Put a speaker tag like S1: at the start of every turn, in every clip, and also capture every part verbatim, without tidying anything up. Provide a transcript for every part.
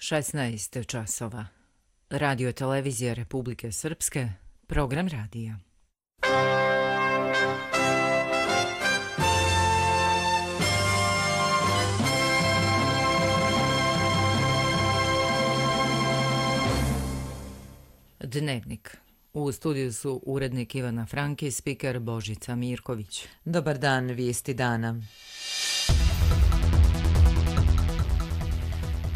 S1: šesnaest časova. Radio televizija Republike Srpske, program radija. Dnevnik. U studiju su urednik Ivana Franki i spiker Božica Mirković.
S2: Dobar dan, vijesti dana.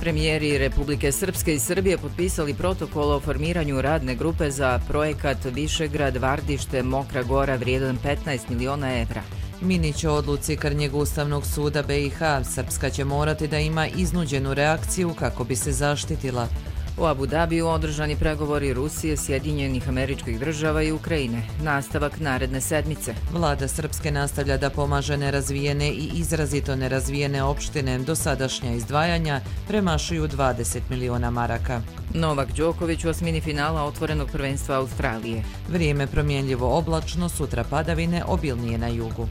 S1: Premijeri Republike Srpske i Srbije potpisali protokol o formiranju radne grupe za projekat Višegrad Vardište Mokra Gora vrijedan petnaest miliona evra.
S2: Minić o odluci Krnjeg Ustavnog suda B i H. Srpska će morati da ima iznuđenu reakciju kako bi se zaštitila.
S1: U Abu Dabiju održani pregovori Rusije, Sjedinjenih Američkih Država i Ukrajine. Nastavak naredne sedmice.
S2: Vlada Srpske nastavlja da pomaže nerazvijene i izrazito nerazvijene opštine. Dosadašnja izdvajanja premašuju dvadeset miliona maraka.
S1: Novak Đoković u osmini finala otvorenog prvenstva Australije.
S2: Vrijeme promjenljivo oblačno, sutra padavine, obilnije na jugu.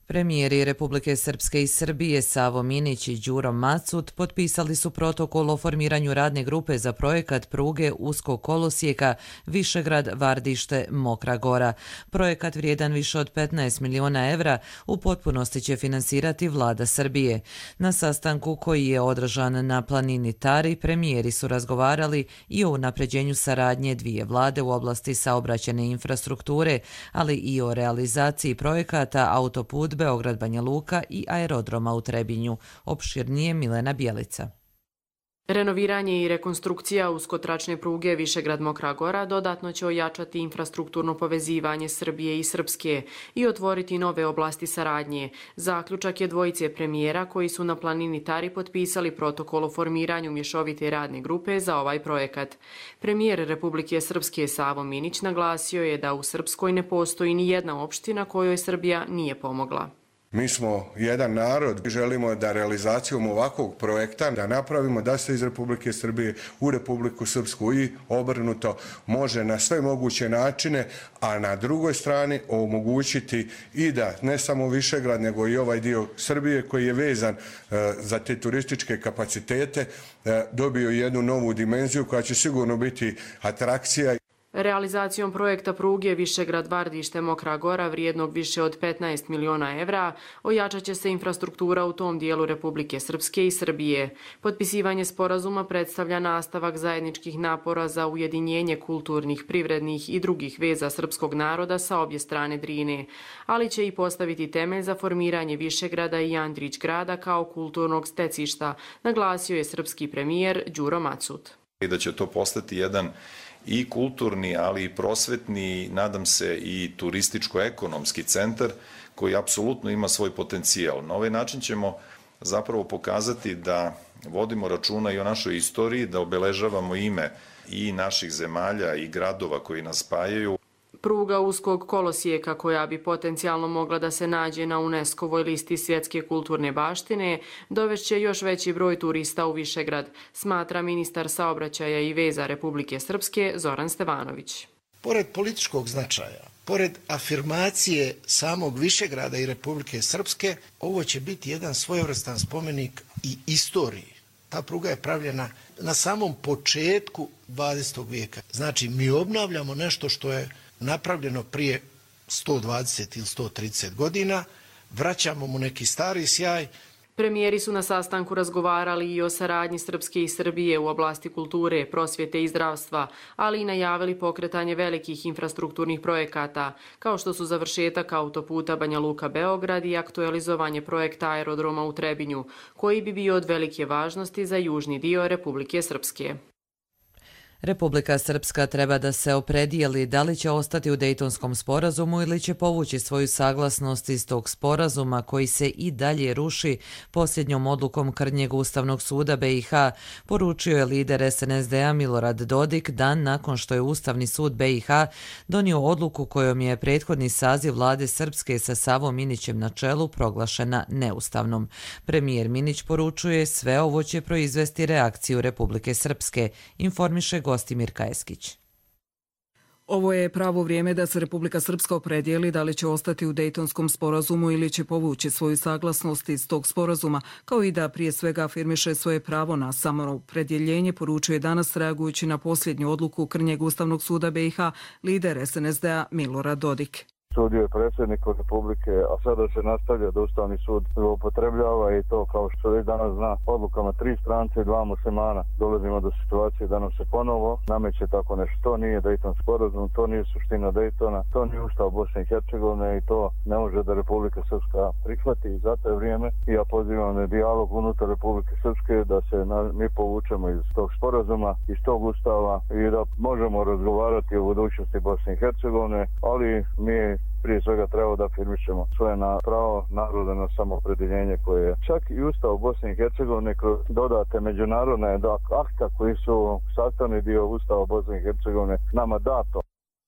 S2: Premijeri Republike Srpske i Srbije Savo Minić i Đuro Macut potpisali su protokol o formiranju radne grupe za projekat pruge uskog kolosijeka Višegrad Vardište Mokra Gora. Projekat vrijedan više od petnaest miliona evra u potpunosti će finansirati vlada Srbije. Na sastanku koji je održan na planini Tari, premijeri su razgovarali i o unapređenju saradnje dvije vlade u oblasti saobraćajne infrastrukture, ali i o realizaciji projekata autoput Beograd Banja Luka i aerodroma u Trebinju. Opširnije Milena Bjelica.
S3: Renoviranje i rekonstrukcija uskotračne pruge Višegrad Mokra Gora dodatno će ojačati infrastrukturno povezivanje Srbije i Srpske i otvoriti nove oblasti saradnje. Zaključak je dvojice premijera koji su na planini Tari potpisali protokol o formiranju mješovite radne grupe za ovaj projekat. Premijer Republike Srpske Savo Minić naglasio je da u Srpskoj ne postoji ni jedna opština kojoj Srbija nije pomogla.
S4: Mi smo jedan narod i želimo da realizacijom ovakvog projekta da napravimo da se iz Republike Srbije u Republiku Srpsku i obrnuto može na sve moguće načine, a na drugoj strani omogućiti i da ne samo Višegrad nego i ovaj dio Srbije koji je vezan e, za te turističke kapacitete e, dobio jednu novu dimenziju koja će sigurno biti atrakcija.
S3: Realizacijom projekta pruge Višegrad Vardište Mokra Gora vrijednog više od petnaest miliona evra ojačat će se infrastruktura u tom dijelu Republike Srpske i Srbije. Potpisivanje sporazuma predstavlja nastavak zajedničkih napora za ujedinjenje kulturnih, privrednih i drugih veza srpskog naroda sa obje strane Drine, ali će i postaviti temelj za formiranje Višegrada i Andrić grada kao kulturnog stecišta, naglasio je srpski premijer Đuro Macut.
S5: I da će to postati jedan i kulturni, ali i prosvetni, nadam se i turističko-ekonomski centar koji apsolutno ima svoj potencijal. Na ovaj način ćemo zapravo pokazati da vodimo računa i o našoj istoriji, da obeležavamo ime i naših zemalja i gradova koji nas spajaju.
S3: Pruga uskog kolosijeka koja bi potencijalno mogla da se nađe na UNESCO-voj listi svjetske kulturne baštine dovešće još veći broj turista u Višegrad, smatra ministar saobraćaja i veza Republike Srpske Zoran Stevanović.
S6: Pored političkog značaja, pored afirmacije samog Višegrada i Republike Srpske, ovo će biti jedan svojevrstan spomenik i istoriji. Ta pruga je pravljena na samom početku dvadesetog vijeka. Znači, mi obnavljamo nešto što je napravljeno prije sto dvadeset ili sto trideset godina, vraćamo mu neki stari sjaj.
S3: Premijeri su na sastanku razgovarali i o saradnji Srpske i Srbije u oblasti kulture, prosvjete i zdravstva, ali i najavili pokretanje velikih infrastrukturnih projekata, kao što su završetak autoputa Banja Luka-Beograd i aktualizovanje projekta aerodroma u Trebinju, koji bi bio od velike važnosti za južni dio Republike Srpske.
S2: Republika Srpska treba da se opredijeli da li će ostati u Dejtonskom sporazumu ili će povući svoju saglasnost iz tog sporazuma koji se i dalje ruši posljednjom odlukom Krnjeg Ustavnog suda B i H, poručio je lider S N S D-a Milorad Dodik dan nakon što je Ustavni sud B i H donio odluku kojom je prethodni saziv vlade Srpske sa Savom Minićem na čelu proglašena neustavnom. Premijer Minić poručuje sve ovo će proizvesti reakciju Republike Srpske, informiše Gostimir Kajeskić.
S7: Ovo je pravo vrijeme da se Republika Srpska opredijeli da li će ostati u Dejtonskom sporazumu ili će povući svoju saglasnost iz tog sporazuma, kao i da prije svega afirmiše svoje pravo na samoopredjeljenje, poručuje danas reagujući na posljednju odluku krnjeg Ustavnog suda B i H lider S N S D-a Milorad Dodik.
S8: Sudio je predsjednik Republike, a sada se nastavlja da Ustavni sud upotrebljava i to, kao što već danas zna, odlukama tri strance i dva muslimana. Dolazimo do situacije da nam se ponovo nameće tako nešto. To nije Dejton sporazum, to nije suština Dejtona, to nije Ustav Bosne i Hercegovine i to ne može da Republika Srpska prihvati. I zato je vrijeme i ja pozivam na dijalog unutar Republike Srpske da se na, mi povučemo iz tog sporazuma, iz tog Ustava i da možemo razgovarati o budućnosti Bosne i Hercegovine, ali mi prije svega treba da afirmišemo svoje na pravo naroda na samoopredjeljenje koje je čak i Ustav Bosne i Hercegovine kroz dodate međunarodne akta koji su sastavni dio Ustava Bosne i Hercegovine nama dato.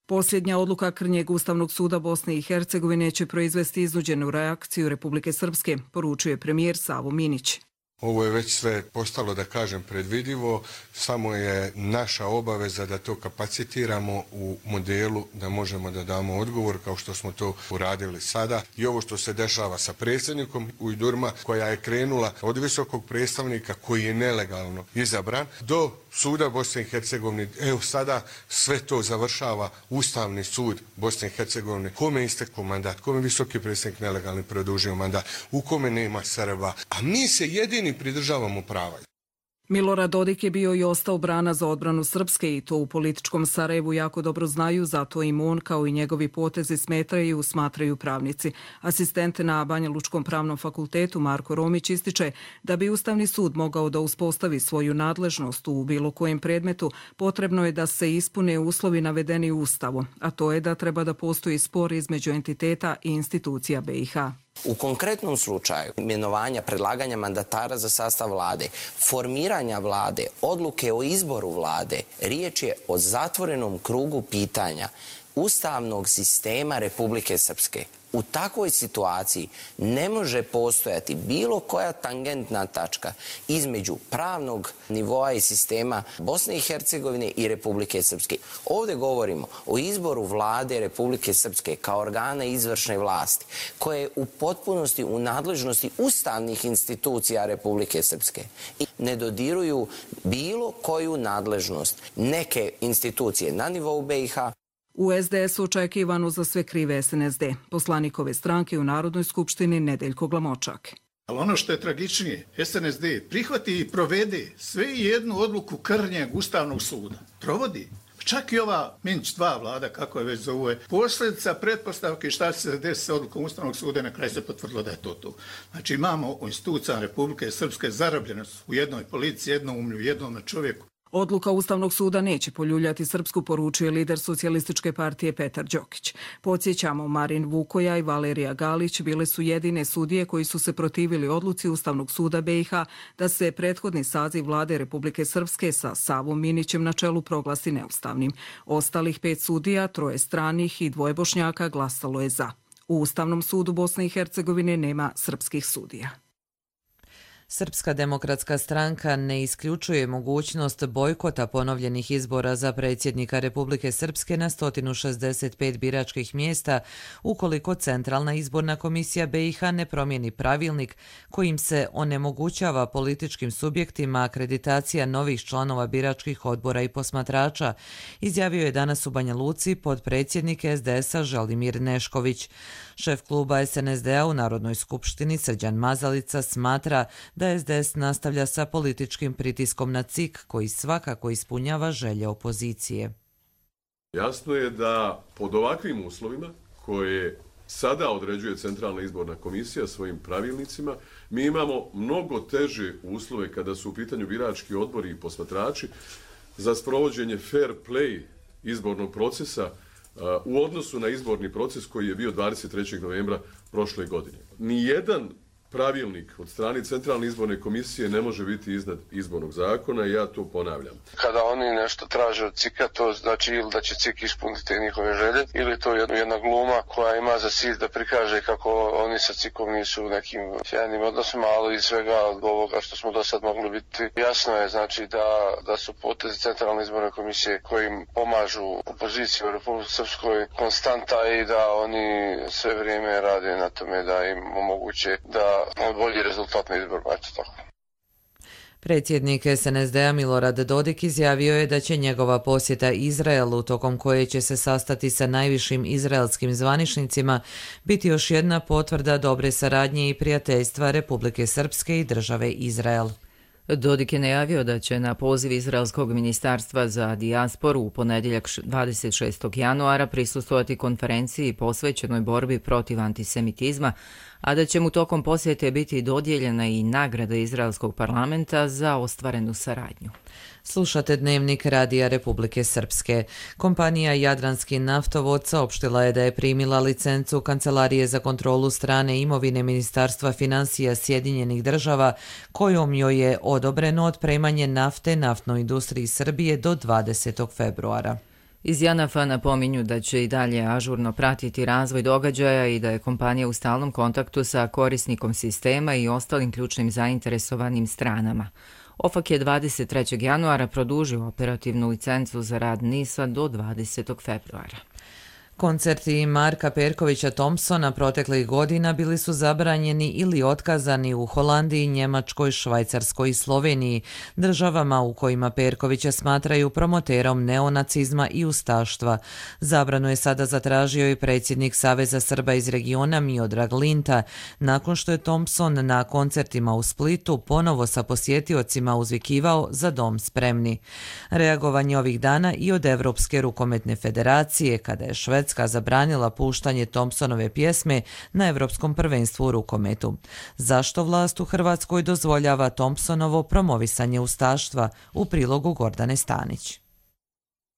S7: Posljednja odluka krnjeg Ustavnog suda Bosne i Hercegovine će proizvesti iznuđenu reakciju Republike Srpske, poručuje premijer Savo Minić.
S4: Ovo je već sve postalo, da kažem, predvidivo, samo je naša obaveza da to kapacitiramo u modelu da možemo da damo odgovor kao što smo to uradili sada. I ovo što se dešava sa predsjednikom Ujdurma, koja je krenula od visokog predstavnika koji je nelegalno izabran do suda Bosne i Hercegovine. Evo sada sve to završava Ustavni sud Bosne i Hercegovine. Kome je istekao mandat, kome visoki predstavnik nelegalni produžio mandat, u kome nema Srba, a mi se jedini pridržavamo prava.
S7: Milorad Dodik je bio i ostao brana za odbranu Srpske i to u političkom Sarajevu jako dobro znaju, zato im on kao i njegovi potezi smetaju, smatraju pravnici. Asistent na Banja Lučkom pravnom fakultetu Marko Romić ističe da bi Ustavni sud mogao da uspostavi svoju nadležnost u bilo kojem predmetu, potrebno je da se ispune uslovi navedeni u Ustavu, a to je da treba da postoji spor između entiteta i institucija B i H.
S9: U konkretnom slučaju imenovanja, predlaganja mandatara za sastav vlade, formiranja vlade, odluke o izboru vlade, riječ je o zatvorenom krugu pitanja ustavnog sistema Republike Srpske. U takvoj situaciji ne može postojati bilo koja tangentna tačka između pravnog nivoa i sistema Bosne i Hercegovine i Republike Srpske. Ovdje govorimo o izboru vlade Republike Srpske kao organa izvršne vlasti, koje je u potpunosti u nadležnosti ustavnih institucija Republike Srpske i ne dodiruju bilo koju nadležnost neke institucije na nivou B i H.
S7: U S D S-u očekivano za sve krive S N S D, poslanikove stranke u Narodnoj skupštini Nedeljko Glamočak.
S10: Ali ono što je tragičnije, S N S D prihvati i provede sve jednu odluku krnjeg Ustavnog suda. Provodi. Čak i ova Minč dva vlada, kako je već zove, posljedica pretpostavke šta će se desiti sa odlukom Ustavnog suda, na kraju se potvrdilo da je to to. Znači imamo u institucijama Republike Srpske zarobljenost u jednoj policiji, jednom umlju, jednom čovjeku.
S7: Odluka Ustavnog suda neće poljuljati Srpsku, poručuje lider Socijalističke partije Petar Đokić. Podsjećamo, Marin Vukoja i Valerija Galić bile su jedine sudije koji su se protivili odluci Ustavnog suda B i H da se prethodni saziv vlade Republike Srpske sa Savom Minićem na čelu proglasi neustavnim. Ostalih pet sudija, troje stranih i dvoje Bošnjaka glasalo je za. U Ustavnom sudu Bosne i Hercegovine nema srpskih sudija.
S2: Srpska demokratska stranka ne isključuje mogućnost bojkota ponovljenih izbora za predsjednika Republike Srpske na sto šezdeset pet biračkih mjesta ukoliko Centralna izborna komisija B i H ne promijeni pravilnik kojim se onemogućava političkim subjektima akreditacija novih članova biračkih odbora i posmatrača, izjavio je danas u Banja Luci potpredsjednik S D S-a Želimir Nešković. Šef kluba S N S D-a u Narodnoj skupštini Srđan Mazalica smatra da S D S nastavlja sa političkim pritiskom na C I K koji svakako ispunjava želje opozicije.
S11: Jasno je da pod ovakvim uslovima koje sada određuje Centralna izborna komisija svojim pravilnicima, mi imamo mnogo teže uslove kada su u pitanju birački odbori i posmatrači za sprovođenje fair play izbornog procesa u odnosu na izborni proces koji je bio dvadeset trećeg novembra prošle godine. Nijedan pravilnik od strane Centralne izborne komisije ne može biti iznad izbornog zakona i ja to ponavljam.
S12: Kada oni nešto traže od C I K-a, to znači ili da će C I K ispuniti te njihove želje, ili to je jedna gluma koja ima za cilj da prikaže kako oni sa C I K-om nisu u nekim sjajnim odnosima, ali iz svega ovoga što smo do sad mogli biti, jasno je znači da, da su potezi Centralne izborne komisije koji im pomažu opoziciji u Republici Srpskoj konstanta i da oni sve vrijeme rade na tome da im omoguće da bolji rezultat na izborima. Eto tako.
S2: Predsjednik S N S D-a Milorad Dodik izjavio je da će njegova posjeta Izraelu, tokom koje će se sastati sa najvišim izraelskim zvaničnicima, biti još jedna potvrda dobre saradnje i prijateljstva Republike Srpske i države Izrael.
S1: Dodik je najavio da će na poziv Izraelskog ministarstva za dijasporu u ponedjeljak dvadeset šestog januara prisustvovati konferenciji posvećenoj borbi protiv antisemitizma, a da će mu tokom posjete biti dodijeljena i nagrada Izraelskog parlamenta za ostvarenu saradnju.
S2: Slušate Dnevnik Radija Republike Srpske. Kompanija Jadranski naftovod saopštila je da je primila licencu Kancelarije za kontrolu strane imovine Ministarstva financija Sjedinjenih država, kojom joj je odobreno otpremanje nafte naftnoj industriji Srbije do dvadesetog februara.
S1: Iz Janafa napominju da će i dalje ažurno pratiti razvoj događaja i da je kompanija u stalnom kontaktu sa korisnikom sistema i ostalim ključnim zainteresovanim stranama. OFAK je dvadeset trećeg januara produžio operativnu licencu za rad NIS-a do dvadesetog februara.
S2: Koncerti Marka Perkovića Thompsona proteklih godina bili su zabranjeni ili otkazani u Holandiji, Njemačkoj, Švajcarskoj i Sloveniji, državama u kojima Perkovića smatraju promoterom neonacizma i ustaštva. Zabranu je sada zatražio i predsjednik Saveza Srba iz regiona Miodrag Linta, nakon što je Thompson na koncertima u Splitu ponovo sa posjetiocima uzvikivao za dom spremni. Reagovanje ovih dana i od Evropske rukometne federacije, kada je Švedska zabranila puštanje Thompsonove pjesme na Evropskom prvenstvu u rukometu. Zašto vlast u Hrvatskoj dozvoljava Thompsonovo promovisanje ustaštva? U prilogu Gordane Stanić.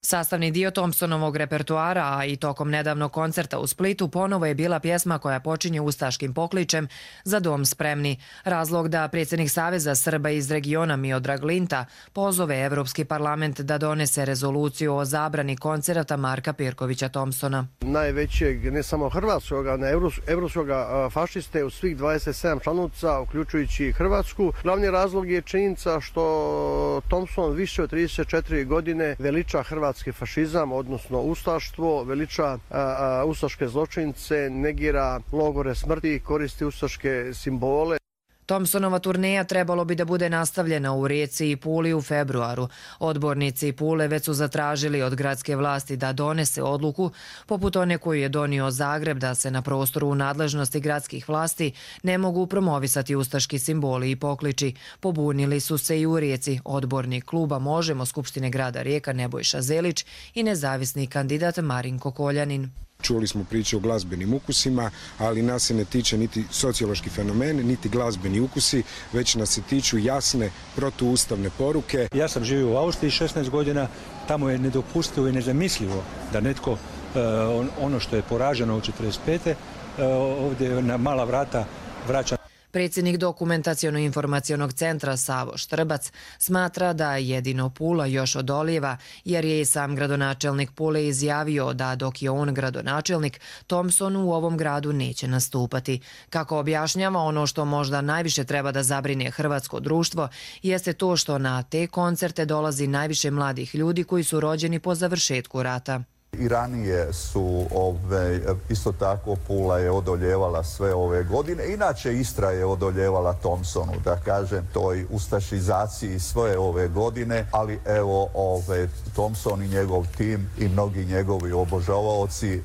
S13: Sastavni dio Thompsonovog repertoara, a i tokom nedavnog koncerta u Splitu, ponovo je bila pjesma koja počinje ustaškim pokličem za dom spremni. Razlog da predsjednik Saveza Srba iz regiona Miodrag Linta pozove Evropski parlament da donese rezoluciju o zabrani koncerata Marka Perkovića Thompsona.
S14: Najvećeg, ne samo hrvatskog, ne evropskog fašiste u svih dvadeset sedam članica, uključujući Hrvatsku. Glavni razlog je činjenica što Thompson više od trideset četiri godine veliča Hrvatsku hrvatski fašizam, odnosno ustaštvo, veliča a, a, ustaške zločince, negira logore smrti, koristi ustaške simbole.
S13: Thompsonova turneja trebalo bi da bude nastavljena u Rijeci i Puli u februaru. Odbornici Pule već su zatražili od gradske vlasti da donese odluku, poput one koju je donio Zagreb, da se na prostoru u nadležnosti gradskih vlasti ne mogu promovisati ustaški simboli i pokliči. Pobunili su se i u Rijeci odbornik kluba Možemo Skupštine grada Rijeka Nebojša Zelić i nezavisni kandidat Marinko Koljanin.
S15: Čuli smo priče o glazbenim ukusima, ali nas se ne tiče niti sociološki fenomen, niti glazbeni ukusi, već nas se tiču jasne protuustavne poruke.
S16: Ja sam živio u Austriji šesnaest godina, tamo je nedopustivo i nezamislivo da netko ono što je poraženo u četrdeset pete ovdje na mala vrata vraća.
S13: Predsjednik Dokumentacijono-informacionog centra Savo Štrbac smatra da jedino Pula još odolijeva, jer je i sam gradonačelnik Pule izjavio da dok je on gradonačelnik, Thompson u ovom gradu neće nastupati. Kako objašnjava, ono što možda najviše treba da zabrine hrvatsko društvo jeste to što na te koncerte dolazi najviše mladih ljudi koji su rođeni po završetku rata.
S17: I ranije su ove, isto tako Pula je odoljevala sve ove godine. Inače Istra je odoljevala Thompsonu, da kažem, toj ustašizaciji sve ove godine, ali evo ove, Thompson i njegov tim i mnogi njegovi obožavaoci e,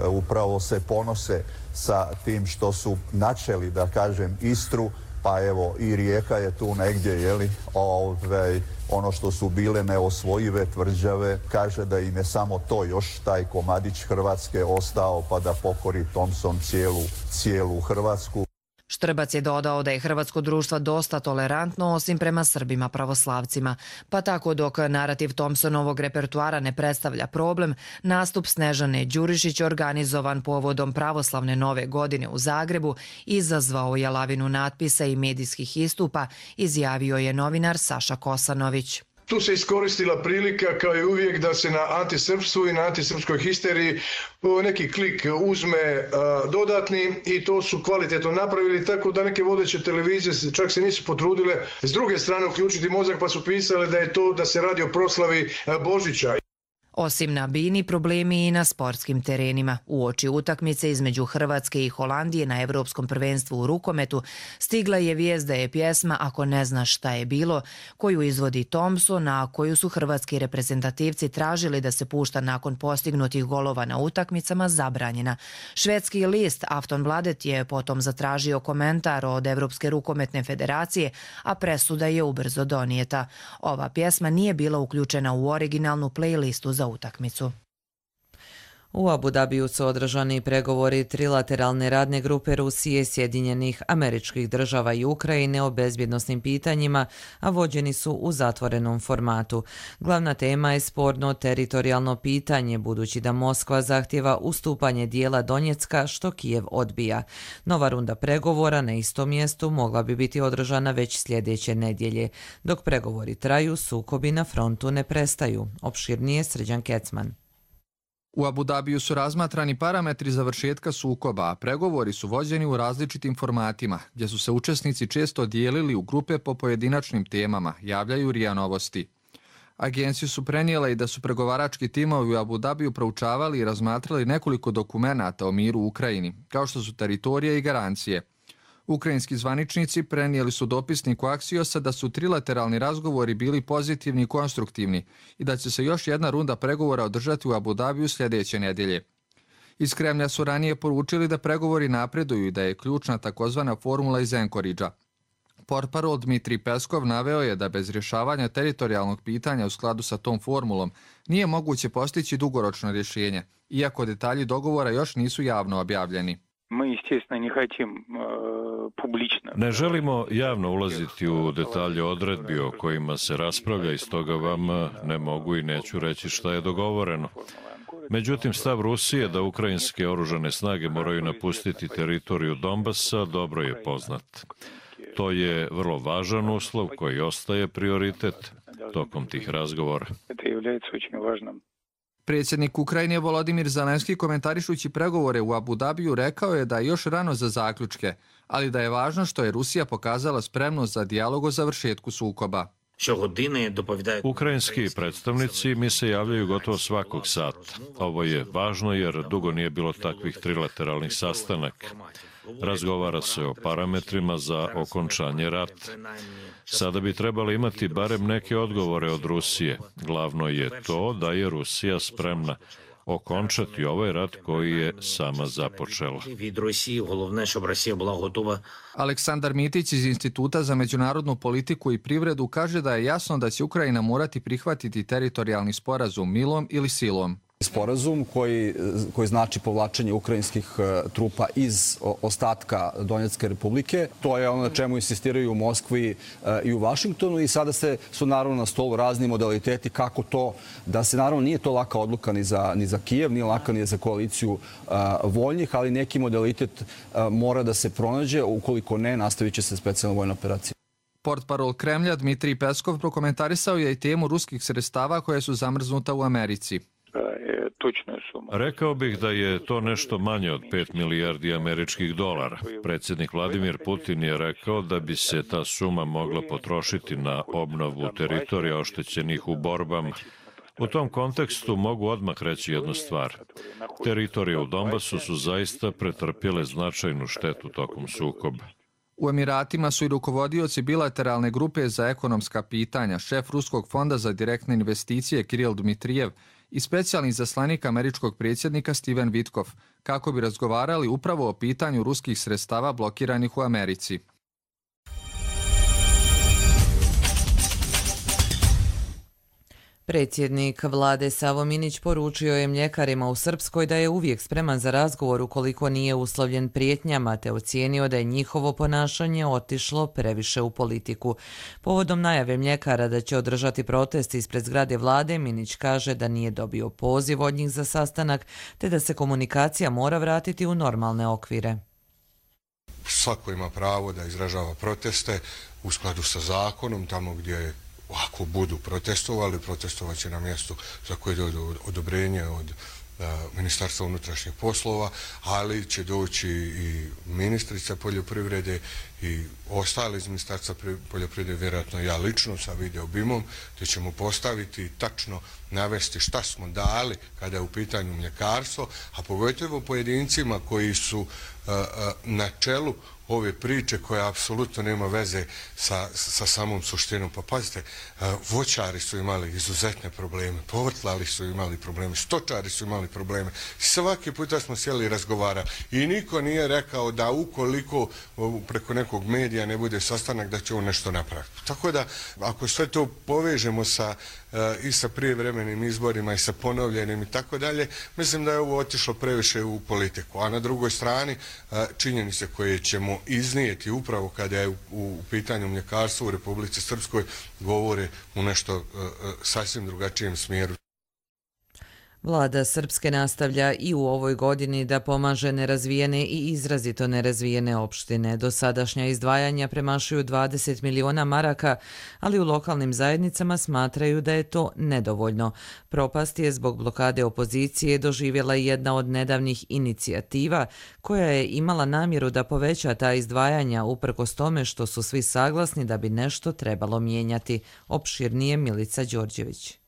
S17: upravo se ponose sa tim što su načeli, da kažem, Istru, pa evo i Rijeka je tu negdje, jeli, ove, ono što su bile neosvojive tvrđave, kaže da im je samo to još taj komadić Hrvatske ostao pa da pokori Thompson cijelu, cijelu Hrvatsku.
S13: Štrbac je dodao da je hrvatsko društvo dosta tolerantno osim prema Srbima pravoslavcima, pa tako dok narativ Thompsonovog repertuara ne predstavlja problem, nastup Snežane Đurišić organizovan povodom pravoslavne nove godine u Zagrebu izazvao je lavinu natpisa i medijskih istupa, izjavio je novinar Saša Kosanović.
S18: Tu se iskoristila prilika kao i uvijek da se na antisrpstvu i na antisrpskoj histeriji neki klik uzme a, dodatni i to su kvalitetno napravili, tako da neke vodeće televizije čak se nisu potrudile s druge strane uključiti mozak pa su pisale da je to da se radi o proslavi a, Božića.
S13: Osim na bini, problemi i na sportskim terenima. Uoči utakmice između Hrvatske i Holandije na Evropskom prvenstvu u rukometu stigla je vijest da je pjesma Ako ne znaš šta je bilo, koju izvodi Thompson, a koju su hrvatski reprezentativci tražili da se pušta nakon postignutih golova na utakmicama, zabranjena. Švedski list Aftonbladet je potom zatražio komentar od Evropske rukometne federacije, a presuda je ubrzo donijeta. Ova pjesma nije bila uključena u originalnu playlistu za utakmicu.
S2: U Abu Dabiju su održani pregovori trilateralne radne grupe Rusije, Sjedinjenih Američkih Država i Ukrajine o bezbjednosnim pitanjima, a vođeni su u zatvorenom formatu. Glavna tema je sporno teritorijalno pitanje, budući da Moskva zahtjeva ustupanje dijela Donjecka, što Kijev odbija. Nova runda pregovora na istom mjestu mogla bi biti održana već sljedeće nedjelje. Dok pregovori traju, sukobi na frontu ne prestaju. Opširnije Srđan Kecman.
S19: U Abu Dabiju su razmatrani parametri završetka sukoba, a pregovori su vođeni u različitim formatima, gdje su se učesnici često dijelili u grupe po pojedinačnim temama, javljaju R I A Novosti. Agencije su prenijele i da su pregovarački timovi u Abu Dabiju proučavali i razmatrali nekoliko dokumenata o miru u Ukrajini, kao što su teritorije i garancije. Ukrajinski zvaničnici prenijeli su dopisniku Aksiosa da su trilateralni razgovori bili pozitivni i konstruktivni i da će se još jedna runda pregovora održati u Abu Dabiju sljedeće nedjelje. Iz Kremlja su ranije poručili da pregovori napreduju i da je ključna takozvana formula iz Anchoragea. Portparol Dmitrij Peskov naveo je da bez rješavanja teritorijalnog pitanja u skladu sa tom formulom nije moguće postići dugoročno rješenje, iako detalji dogovora još nisu javno objavljeni.
S20: Ne želimo javno ulaziti u detalje odredbi o kojima se raspravlja i stoga vam ne mogu i neću reći šta je dogovoreno. Međutim, stav Rusije da ukrajinske oružane snage moraju napustiti teritoriju Donbasa dobro je poznat. To je vrlo važan uslov koji ostaje prioritet tokom tih razgovora.
S19: Predsjednik Ukrajine Volodimir Zelenski, komentarišući pregovore u Abu Dabiju, rekao je da je još rano za zaključke, ali da je važno što je Rusija pokazala spremnost za dijalog o završetku sukoba.
S20: Ukrajinski predstavnici mi se javljaju gotovo svakog sata. Ovo je važno jer dugo nije bilo takvih trilateralnih sastanaka. Razgovara se o parametrima za okončanje rata. Sada bi trebali imati barem neke odgovore od Rusije. Glavno je to da je Rusija spremna okončati ovaj rat koji je sama započela.
S19: Aleksandar Mitić iz Instituta za međunarodnu politiku i privredu kaže da je jasno da će Ukrajina morati prihvatiti teritorijalni sporazum milom ili silom.
S21: Sporazum koji, koji znači povlačenje ukrajinskih trupa iz ostatka Donjecke republike. To je ono na čemu insistiraju u Moskvi i u Vašingtonu i sada se su naravno na stolu razni modaliteti kako to, da se naravno nije to laka odluka ni za, ni za Kijev, nije laka ni za koaliciju a, voljnih, ali neki modalitet a, mora da se pronađe, ukoliko ne, nastavit će se specijalna vojna operacija.
S19: Portparol Kremlja Dmitrij Peskov prokomentarisao je i temu ruskih sredstava koje su zamrznuta u Americi.
S20: Rekao bih da je to nešto manje od pet milijardi američkih dolara. Predsjednik Vladimir Putin je rekao da bi se ta suma mogla potrošiti na obnovu teritorija oštećenih u borbama. U tom kontekstu mogu odmah reći jednu stvar. Teritorije u Donbasu su zaista pretrpjele značajnu štetu tokom sukoba.
S19: U Emiratima su i rukovodioci bilateralne grupe za ekonomska pitanja, šef Ruskog fonda za direktne investicije Kiril Dmitrijev i specijalni izaslanik američkog predsjednika Steven Witkoff, kako bi razgovarali upravo o pitanju ruskih sredstava blokiranih u Americi.
S2: Predsjednik vlade Savo Minić poručio je mljekarima u Srpskoj da je uvijek spreman za razgovor ukoliko nije uslovljen prijetnjama, te ocijenio da je njihovo ponašanje otišlo previše u politiku. Povodom najave mljekara da će održati protest ispred zgrade vlade, Minić kaže da nije dobio poziv od njih za sastanak, te da se komunikacija mora vratiti u normalne okvire.
S4: Svako ima pravo da izražava proteste u skladu sa zakonom, tamo gdje je ako budu protestovali, protestovat će na mjestu za koje dođe odobrenje od Ministarstva unutrašnjih poslova, ali će doći i ministrica poljoprivrede i ostali iz Ministarstva poljoprivrede, vjerojatno ja lično sa videobimom, gdje ćemo postaviti i tačno navesti šta smo dali kada je u pitanju mljekarstvo, a pogotovo pojedincima koji su na čelu ove priče koja apsolutno nema veze sa, sa samom suštinom. Pa pazite, voćari su imali izuzetne probleme, povrtlari su imali probleme, stočari su imali probleme. Svaki puta smo sjeli i razgovarali i niko nije rekao da ukoliko preko nekog medija ne bude sastanak da će on nešto napraviti. Tako da, ako sve to povežemo sa i sa prijevremenim izborima i sa ponovljenim i tako dalje, mislim da je ovo otišlo previše u politiku. A na drugoj strani, činjenice koje ćemo iznijeti upravo kada je u pitanju mljekarstva u Republici Srpskoj govore u nešto sasvim drugačijem smjeru.
S2: Vlada Srpske nastavlja i u ovoj godini da pomaže nerazvijene i izrazito nerazvijene opštine. Dosadašnja izdvajanja premašuju dvadeset miliona maraka, ali u lokalnim zajednicama smatraju da je to nedovoljno. Propast je zbog blokade opozicije doživjela jedna od nedavnih inicijativa koja je imala namjeru da poveća ta izdvajanja uprkos tome što su svi saglasni da bi nešto trebalo mijenjati. Opširnije Milica Đorđević.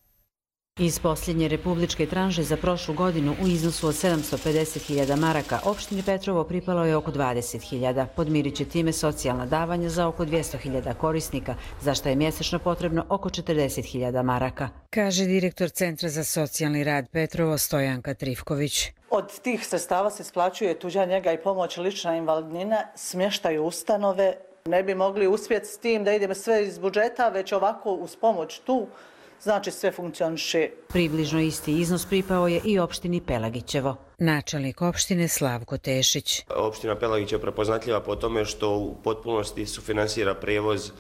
S5: Iz posljednje republičke tranže za prošlu godinu u iznosu od sedamsto pedeset hiljada maraka opštini Petrovo pripalo je oko dvadeset hiljada. Podmirit će time socijalna davanja za oko dvjesto hiljada korisnika, za što je mjesečno potrebno oko četrdeset hiljada maraka, kaže direktor Centra za socijalni rad Petrovo Stojanka Trifković.
S22: Od tih sredstava se isplaćuje tuđa njega i pomoć, lična invalidnina, smještaju ustanove. Ne bi mogli uspjeti s tim da idemo sve iz budžeta, već ovako uz pomoć tu. Znači sve funkcioniše.
S5: Približno isti iznos pripao je i opštini Pelagićevo. Načelnik opštine Slavko Tešić.
S23: Opština Pelagić je prepoznatljiva po tome što u potpunosti sufinansira prevoz e,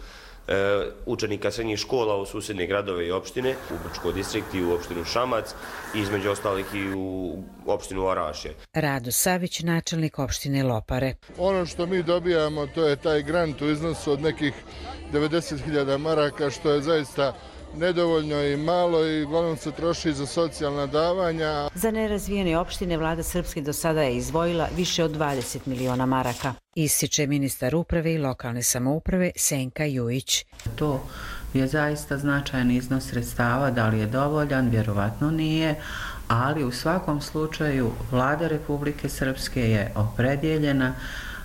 S23: učenika srednjih škola u susjedne gradove i opštine, u Brčko distrikt i u opštinu Šamac i između ostalih i u opštinu Orašje.
S5: Rado Savić, načelnik opštine Lopare.
S24: Ono što mi dobijamo to je taj grant u iznosu od nekih devedeset hiljada maraka, što je zaista nedovoljno i malo i uglavnom se troši za socijalna davanja.
S5: Za nerazvijene opštine vlada Srpske do sada je izdvojila više od dvadeset miliona maraka. Ističe ministar uprave i lokalne samouprave Senka Jujić.
S25: To je zaista značajan iznos sredstava, da li je dovoljan, vjerovatno nije, ali u svakom slučaju vlada Republike Srpske je opredjeljena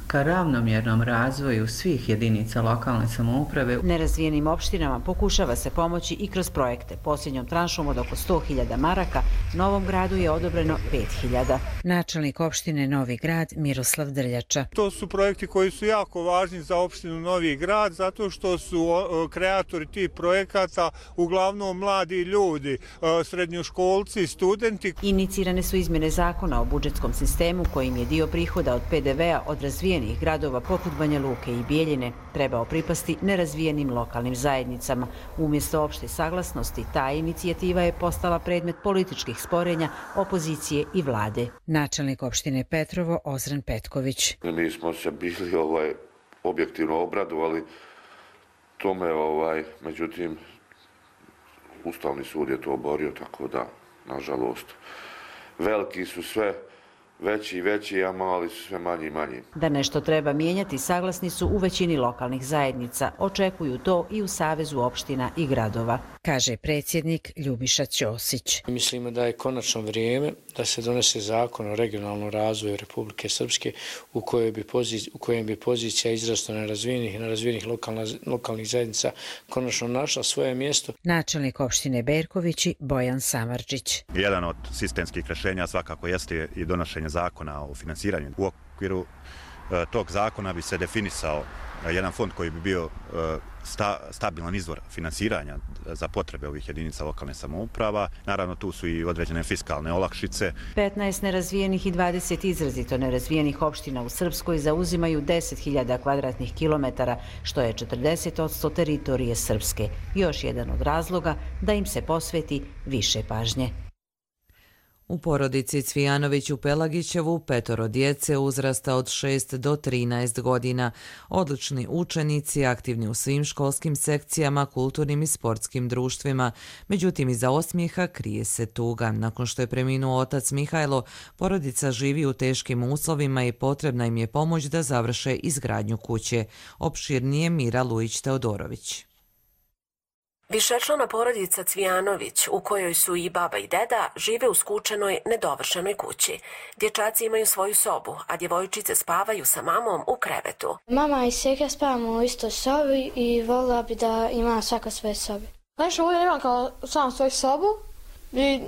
S25: ka ravnomjernom razvoju svih jedinica lokalne samouprave.
S5: Nerazvijenim opštinama pokušava se pomoći i kroz projekte. Posljednjom tranšom od oko sto hiljada maraka Novom Gradu je odobreno pet hiljada. Načelnik opštine Novi Grad Miroslav Drljača.
S26: To su projekti koji su jako važni za opštinu Novi Grad zato što su kreatori tih projekata uglavnom mladi ljudi, srednjoškolci, studenti.
S5: Inicirane su izmjene zakona o budžetskom sistemu kojim je dio prihoda od pe de ve a od razvijenih gradova poput Banja Luke i Bijeljine trebao pripasti nerazvijenim lokalnim zajednicama. Umjesto opšte saglasnosti, ta inicijativa je postala predmet političkih sporenja, opozicije i vlade. Načelnik opštine Petrovo Ozren Petković.
S27: Mi smo se bili ovaj, objektivno obradovali tome, ovaj, međutim, Ustavni sud je to oborio, tako da, nažalost, veliki su sve veći i veći, a mali su sve manji i manji.
S5: Da nešto treba mijenjati, saglasni su u većini lokalnih zajednica. Očekuju to i u Savezu opština i gradova, kaže predsjednik Ljubiša Ćosić.
S28: Mislimo da je konačno vrijeme da se donese zakon o regionalnom razvoju Republike Srpske u kojem bi pozicija, u kojem bi pozicija izrazito nerazvijenih i nerazvijenih lokalna, lokalnih zajednica konačno našla svoje mjesto.
S5: Načelnik opštine Berkovići Bojan Samardžić.
S29: Jedan od sistemskih rješenja svakako jeste i donošenje zakona o finansiranju. U okviru
S3: tog zakona bi se definisao jedan fond koji bi bio sta, stabilan izvor finansiranja za potrebe ovih jedinica lokalne samouprava. Naravno, tu su i određene fiskalne olakšice.
S5: petnaest nerazvijenih i dvadeset izrazito nerazvijenih opština u Srpskoj zauzimaju deset hiljada kvadratnih kilometara, što je četrdeset posto teritorije Srpske. Još jedan od razloga da im se posveti više pažnje.
S2: U porodici Cvijanović u Pelagićevu petoro djece uzrasta od šest do trinaest godina. Odlični učenici, aktivni u svim školskim sekcijama, kulturnim i sportskim društvima. Međutim, iza osmijeha krije se tuga. Nakon što je preminuo otac Mihajlo, porodica živi u teškim uslovima i potrebna im je pomoć da završe izgradnju kuće. Opširnije Mira Lujić-Teodorović.
S6: Višečlana porodica Cvijanović, u kojoj su i baba i deda, žive u skučenoj, nedovršenoj kući. Dječaci imaju svoju sobu, a djevojčice spavaju sa mamom u krevetu.
S7: Mama i seka spavamo u istoj sobi i volila bi da ima svaka svoje sobe.
S8: Najviše volim imam kao sam svoju sobu i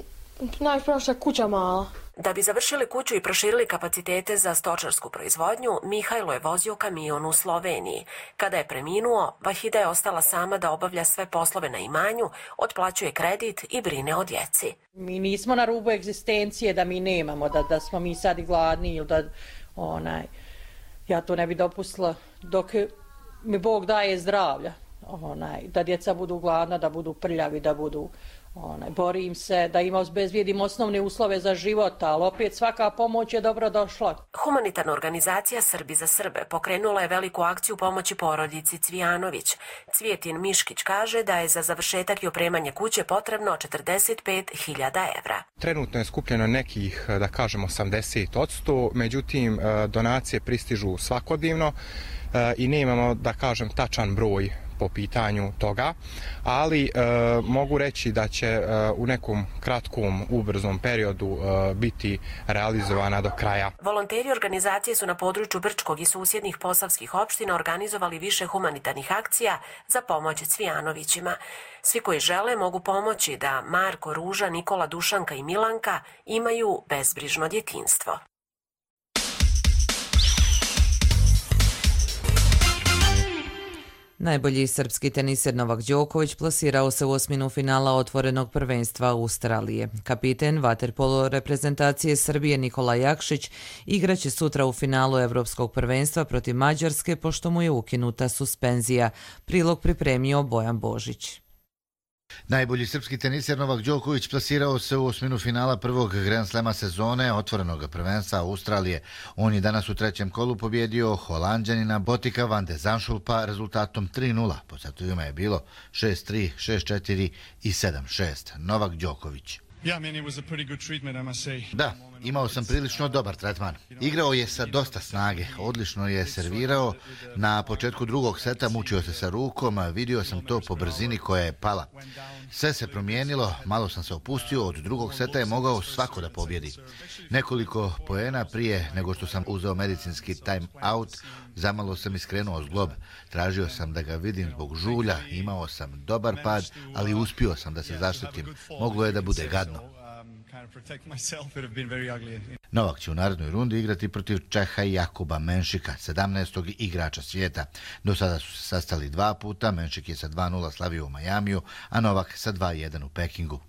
S8: najviše je kuća mala.
S6: Da bi završili kuću i proširili kapacitete za stočarsku proizvodnju, Mihajlo je vozio kamion u Sloveniji. Kada je preminuo, Vahida je ostala sama da obavlja sve poslove na imanju, otplaćuje kredit i brine o djeci.
S8: Mi nismo na rubu egzistencije da mi nemamo, da, da smo mi sad i gladni ili da onaj, ja to ne bi dopustila dok mi Bog daje zdravlja. Onaj, da djeca budu gladna, da budu prljavi, da budu... Onaj, borim se da ima obezbijedim osnovne uslove za život, ali opet svaka pomoć je dobro došla.
S6: Humanitarna organizacija Srbi za Srbe pokrenula je veliku akciju pomoći porodici Cvijanović. Cvijetin Miškić kaže da je za završetak i opremanje kuće potrebno četrdeset pet hiljada evra.
S9: Trenutno je skupljeno nekih, da kažemo, osamdeset posto, međutim donacije pristižu svakodnevno i nemamo, da kažem, tačan broj po pitanju toga, ali e, mogu reći da će e, u nekom kratkom, ubrzom periodu e, biti realizovana do kraja.
S6: Volonteri organizacije su na području Brčkog i susjednih posavskih opština organizovali više humanitarnih akcija za pomoć Cvijanovićima. Svi koji žele mogu pomoći da Marko, Ruža, Nikola, Dušanka i Milanka imaju bezbrižno djetinjstvo.
S2: Najbolji srpski teniser Novak Đoković plasirao se u osminu finala otvorenog prvenstva Australije. Kapiten vaterpolo reprezentacije Srbije Nikola Jakšić igraće sutra u finalu Evropskog prvenstva protiv Mađarske pošto mu je ukinuta suspenzija. Prilog pripremio Bojan Božić.
S10: Najbolji srpski teniser Novak Đoković plasirao se u osminu finala prvog Grand Slema sezone otvorenog prvenstva Australije. On je danas u trećem kolu pobjedio Holanđanina Botika van de Zandschulpa rezultatom tri nula. Po setovima je bilo šest tri, šest četiri i sedam šest. Novak Đoković. Da, imao sam prilično dobar tretman. Igrao je sa dosta snage, odlično je servirao. Na početku drugog seta mučio se sa rukom, vidio sam to po brzini koja je pala. Sve se promijenilo, malo sam se opustio, od drugog seta je mogao svako da pobjedi. Nekoliko poena prije nego što sam uzeo medicinski time out, zamalo sam iskrenuo zglob. Tražio sam da ga vidim zbog žulja, imao sam dobar pad, ali uspio sam da se zaštitim. Moglo je da bude gadno. Novak će u narednoj rundi igrati protiv Čeha Jakuba Menšika, sedamnaestog igrača svijeta. Do sada su se sastali dva puta, Menšik je sa dva nula slavio u Majamiju, a Novak sa dva jedan u Pekingu.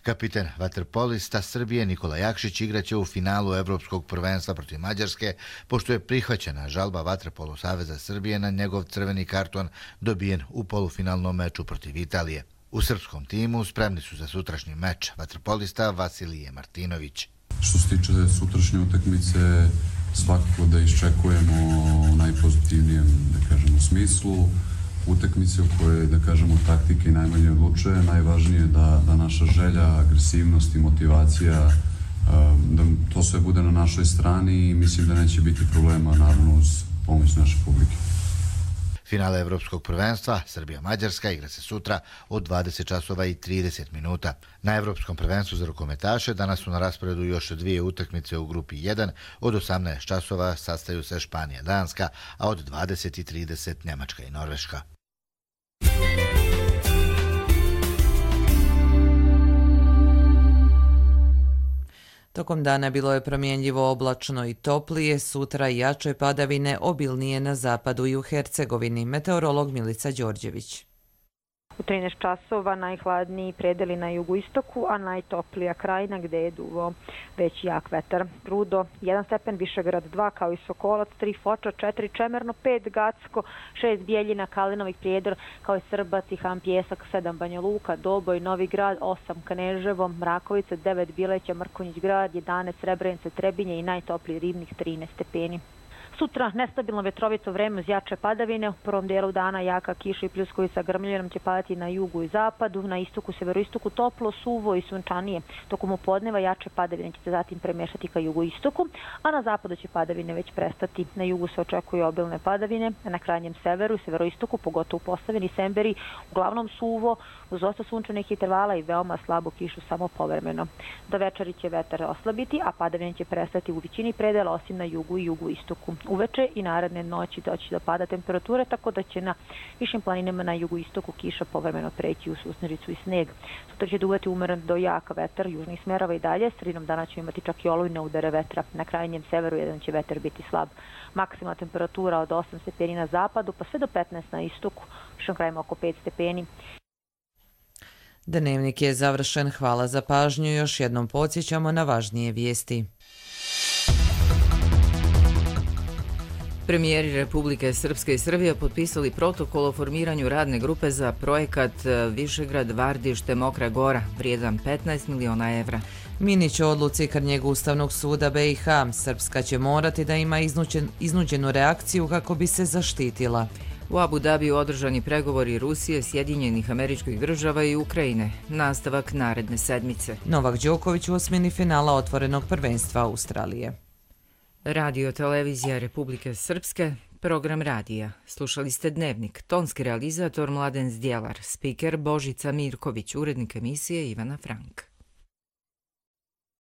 S10: Kapiten vaterpolista Srbije Nikola Jakšić igraće u finalu Evropskog prvenstva protiv Mađarske, pošto je prihvaćena žalba Vaterpolo Saveza Srbije na njegov crveni karton dobijen u polufinalnom meču protiv Italije. U srpskom timu spremni su za sutrašnji meč vaterpolista Vasilije Martinović.
S11: Što se tiče sutrašnje utakmice, svakako da iščekujemo u najpozitivnijem, da kažemo, smislu. Utakmice u kojoj, da kažemo, taktika i najmanje odlučuje. Najvažnije je da, da naša želja, agresivnost i motivacija, da to sve bude na našoj strani i mislim da neće biti problema, naravno, uz pomoć naše publike.
S10: Finale Evropskog prvenstva Srbija-Mađarska igra se sutra od dvadeset časova i trideset minuta. Na Evropskom prvenstvu za rukometaše danas su na rasporedu još dvije utakmice u grupi jedan. Od osamnaest časova sastaju se Španija-Danska, a od dvadeset i trideset Njemačka i Norveška.
S2: Tokom dana bilo je promjenljivo oblačno i toplije, sutra jače padavine obilnije na zapadu i u Hercegovini. Meteorolog Milica Đorđević.
S1: U trinaest časova najhladniji predeli na jugoistoku, a najtoplija krajina gde je duvao već jak vetar. Rudo jedan stepen, Višegrad dva, kao i Sokolac, tri Foča, četiri Čemerno, pet Gacko, šest Bijeljina, Kalinovih Prijedor, kao i Srbac i Han Pjesak, sedam Banja Luka, Doboj, Novi Grad, osam Kneževo, Mrakovica, devet Bileća, Mrkonjić Grad, jedanaest Srebrenice, Trebinje i najtopliji Ribnik, trinaest stepeni. Sutra nestabilno vetrovito vreme uz jače padavine. U prvom dijelu dana jaka kiša i pljuskovica grmljenom će padati na jugu i zapadu, na istoku, severoistoku toplo, suvo i sunčanije. Tokom upodneva jače padavine će se zatim premješati ka jugoistoku, a na zapadu će padavine već prestati. Na jugu se očekuju obilne padavine, a na krajnjem severu i severoistoku, pogotovo u Posavini i Semberi, uglavnom suvo, uz dosta sunčanih intervala i veoma slabu kišu samo povremeno. Do večeri će vetar oslabiti, a padavine će prestati u većini predela, osim na jugu i jugoistoku. Uveče i naredne noći doći do pada temperature, tako da će na višim planinama na jugoistoku kiša povremeno preći u susnericu i sneg. Sutra će duvati umeren do jaka vetar južnih smerova i dalje. Sredinom dana ćemo imati čak i olujne udare vetra. Na krajnjem severu jedan će vetar biti slab. Maksimalna temperatura od osam stepeni na zapadu, pa sve do petnaest na istoku, višom krajima oko pet stepeni.
S2: Dnevnik je završen. Hvala za pažnju. Još jednom podsjećamo na važnije vijesti.
S12: Premijeri Republike Srpske i Srbije potpisali protokol o formiranju radne grupe za projekat Višegrad, Vardište, Mokra Gora, vrijedan petnaest miliona evra.
S2: Minić o odluci Krnjeg Ustavnog suda B i H. Srpska će morati da ima iznuđen, iznuđenu reakciju kako bi se zaštitila.
S12: U Abu Dabiju održani pregovori Rusije, Sjedinjenih Američkih Država i Ukrajine. Nastavak naredne sedmice.
S2: Novak Đoković u osmini finala otvorenog prvenstva Australije.
S12: Radio Televizija Republike Srpske, program radija. Slušali ste Dnevnik, tonski realizator Mladen Zdjelar, spiker Božica Mirković, urednik emisije Ivana Frank.